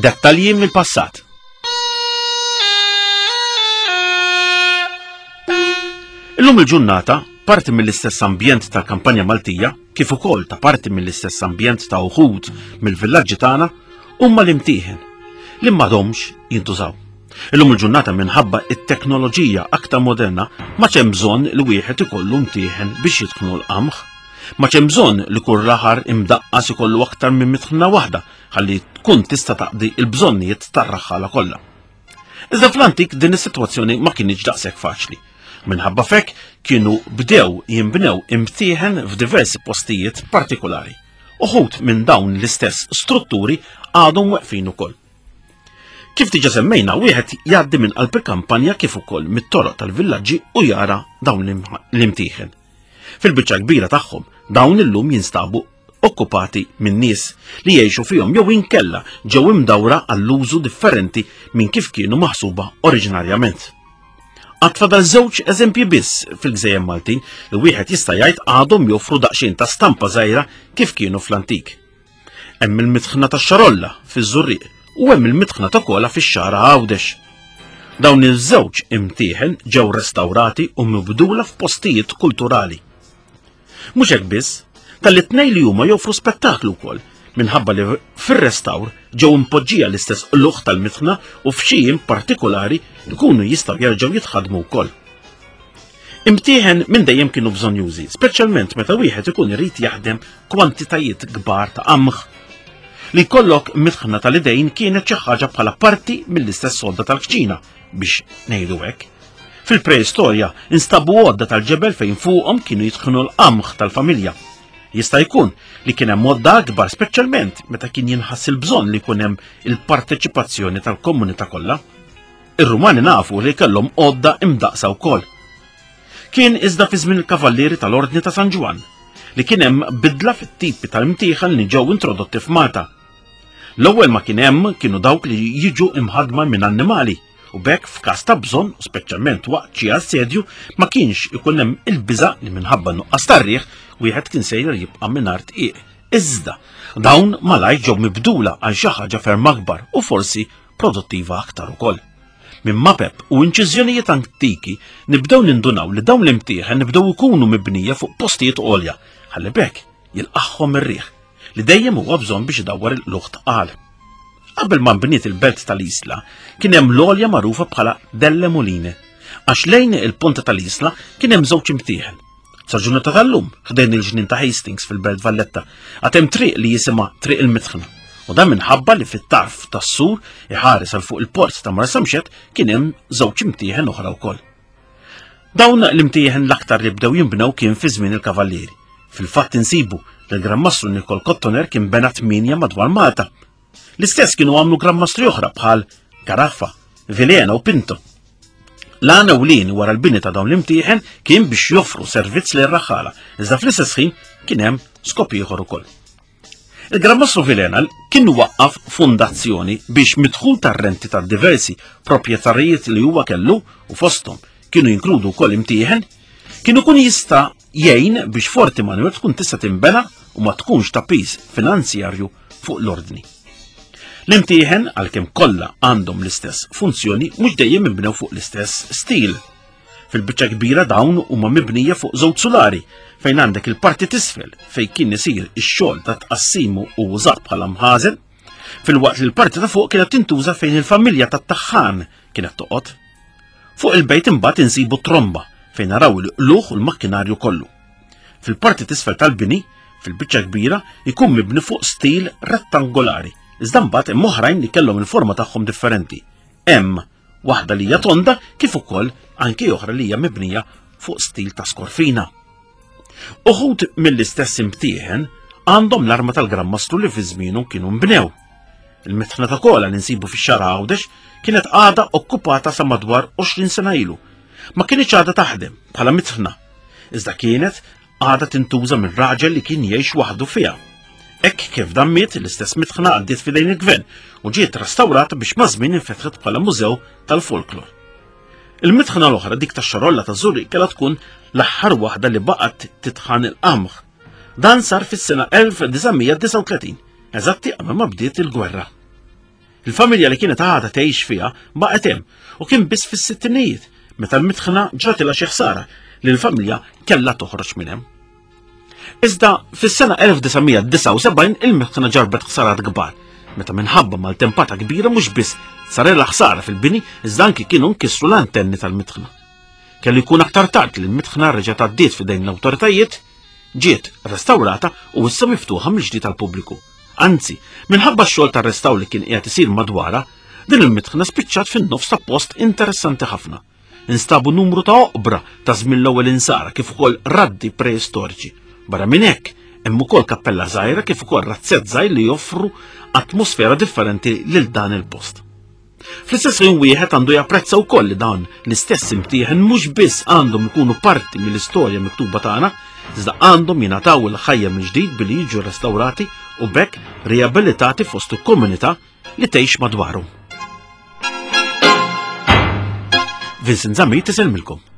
Dettalji mill-passat. Illum il-ġurnata, parti mill-istess ambjent tal-kampanja Maltija, kif ukoll ta' parti mill-istess ambjent ta' uħud mill-villaġġi tagħna, huma l-imtieħen li m'għadhomx jintużaw. Illum il-ġurnata minħabba it-teknoloġija aktar moderna ma hemm bżonn li wieħed ikollu mtieħen biex jitħnu l-qamħ. Ma hemm bżonn li kull raħar imdaqqas ikollu aktar minn mitħna waħda ħalli tkun tista' taqdi l-bżonnijiet tar-raħħala kollha. Iżda fl-antik din is-sitwazzjoni ma kinitx daqshekk faċli. Minħabba fek kienu bdew jinbnew imtieħen f'diversi postijiet partikolari. Uħud minn dawn l-istess strutturi għadhom weqfin ukoll. Kif diġa semmejna, wieħed jgħaddi minn qalb il-kampanja kif ukoll mit-toroq tal-villaġġi u jara dawn l-imtieħen. Fil-biċċa kbira tagħhom, dawn illum jinstabu okkupati minn nies li jgħixu fihom jew inkella ġew imdawra għall-użu differenti minn kif kienu maħsuba oriġinarjament. Għad fadal żewġ eżempji biss fil-gżejjer Maltin li wieħed jista' jgħid għadhom joffru daqsxejn ta' stampa żgħira kif kienu fl-antik. Hemm il-mitħna tax-Xarolla fiż-Żurrieq u hemm il-mitħna ta' Kola fix-Xagħra Għawdex. Dawn iż-żewġ imtieħen ġew restawrati u mibdula f'postijiet kulturali. Mhux hekk biss, talli t-tnejn li huma joffru spettaklu wkoll minħabba li fir-restawr ġew impoġġija l-istess qlugħ tal-mitħna u f'xi jiem partikolari jkunu jistgħu jerġgħu jitħaddmu wkoll. Imtieħen minn dejjem kienu bżonjużi, speċjalment meta wieħed ikun irid jaħdem kwantitajiet kbar ta' qamħ. Li jkollok mitħna tal-idejn kienet xi ħaġa bħala parti mill-istess għodda tal-kċina biex ngħidu hekk. Fil-preistorja instabu għodda tal-ġebel fejn fuqhom kienu jitħnu l-qamħ tal-familja. Jista' jkun li kien hemm għodda akbar speċjalment meta kien jinħass il-bżonn li jkun hemm il-parteċipazzjoni tal-komunità kollha. Ir-Rumani nafu li kellhom għodda imdaqsa wkoll. Kien iżda fi żmien il-Kavallieri tal-Ordni ta' San Ġwann li kien hemm bidla fit-tipi tal-imtieħen li ġew introdotti f'Malta. L-ewwel ma kien hemm kienu dawk li jiġu imħadma minn annimali u b'hekk f'każ ta' bżonn, speċjalment waqt xi assedju, ma kienx ikun hemm il-biża' li minħabba nuqqas tar-riħ wieħed kien sejjer jibqa' mingħajr tqiq. Iżda dawn malajr ġew mibdula għal xi ħaġa ferm akbar u forsi produttiva aktar ukoll. Minn mapep u inċiżjonijiet antiki nibdew nindunaw li dawn l-imtieħen nibdew ikunu mibnija fuq postijiet għolja ħalli b'hekk jilqagħhom ir-riħ li dejjem huwa bżonn biex idawwar il-qlugħ tqal. Qabel ma nbniet il-belt tal-Isla kien hemm l-għolja magħrufa bħala Delle Moline għax lejn il-ponta tal-Isla kien hemm żewġ imtieħen. Sa ġurnata tal-lum, ħdejn il-ġnien ta' Hastings fil-Belt Valletta, għad hemm triq li jisimha Triq il-Mitħna. U dan minħabba li fit-tarf tas-sur iħares għal fuq il-port ta' Marsamxett kien hemm żewġ imtieħen oħra wkoll. Dawn l-imtieħen l-aktar li bdew jinbnew kien fi żmien il-Kavallieri. Fil-fatt insibu li l-Gran Mastru Nikol Kottoner kien bena tmienja madwar Malta. L-istess kienu għamlu Gran Mastri oħra bħal Carafa, Vilhena u Pinto. L-għan ewlieni wara l-bini ta' dawn l-imtieħen kien biex joffru servizz lil raħħala, iżda fl-istess ħin kien hemm skop ieħor ukoll. Il-Gran Mastru Vilhena kien waqqaf fondazzjoni biex midħul tar-renti ta' diversi proprjetarijiet li huwa kellu u fosthom kienu jinkludu wkoll imtieħen, kien ikun jista' jgħin biex Forti Manuel tkun tista' tinbena u ma tkunx ta' piż finanzjarju fuq l-ordni. L-imtieħen, għalkemm kollha għandhom l-istess funzjoni, mhux dejjem inbnew fuq l-istess stil. Fil-biċċa kbira dawn huma mibnija fuq żewġ sulari fejn għandek il-parti t'isfel fejn kien isir ix-xogħol ta' tqassimu u użat bħala mħażen, filwaqt li l-parti ta' fuq kienet tintuża fejn il-familja tat-taħħan kienet toqgħod. Fuq il-bejt imbagħad insibu tromba fejn naraw il-qlugħ u l-makkinarju kollu. Fil-parti t'isfel tal-bini, fil-biċċa kbira, jkun mibni fuq stil rettangolari, iżda mbagħad hemm oħrajn li kellhom il-forma tagħhom differenti. Hemm waħda li hija tonda kif ukoll anki oħra li hija mibnija fuq stil ta' skorfina. Uħud mill-istess imtieħen għandhom l-arma tal-Gran Mastru li fi żmienu kienu nbnew. Il-mitħna ta' kola li nsibu fix-xara Għawdex kienet għadha okkupata sa madwar 20 sena ilu. Ma kienx għadha taħdem bħala mitħna, iżda kienet għadha tintuża minn raġel li kien jgħix waħdu fiha. Hekk kif dan miet, l-istess mitħna għaddiet f'idejn il-gvern u ġiet restawrata biex maż-żmien infetħet bħala mużew tal-folklor. Il-mitħna l-oħra dik tax-xarolla ta' Żurrieq kellha tkun l-aħħar waħda li baqgħet titħan il-qamħ. Dan sar fis-sena 1939, eżatti qabel ma bdiet il-gwerra. Il-familja li kienet għadha tgħix fiha baqgħet hemm u kien biss fis-sittinijiet meta l-mitħna ġratilha xi ħsara li l-familja kellha toħroġ minn hemm. Iżda fis-sena 1979 il-mitħna ġarbet ħsarat kbar meta minħabba maltempata kbira mhux biss sarilha ħsara fil-bini iżda anki kienu nkissru l-antenni tal-mitħna. Kellu jkun aktar tard li l-mitħna reġgħet għaddiet f'idejn l-awtoritajiet, ġiet restawrata u issa miftuħa mill-ġdid għall-pubbliku. Anzi, minħabba x-xogħol ta' restawr li kien qiegħed isir madwarha, din il-mitħna spiċċat fin-nofs ta' post interessanti ħafna. Instabu numru ta' oqbra ta' żmien l-ewwel insara kif ukoll raddi preistoriċi. Barra minn hekk, hemm ukoll kappella żgħira kif ukoll razzett żgħir li joffru atmosfera differenti lil dan il-post. Fl-istess ħin wieħed għandu japprezza wkoll li dawn l-istess imtieħen mhux biss għandhom ikunu parti mill-istorja miktuba tagħna, iżda għandhom jingħataw il-ħajja mill-ġdid billi jiġu restawrati u b'hekk riabilitati fost il-komunità li tgħix madwarhom. Vincent Zammit isellmilkom.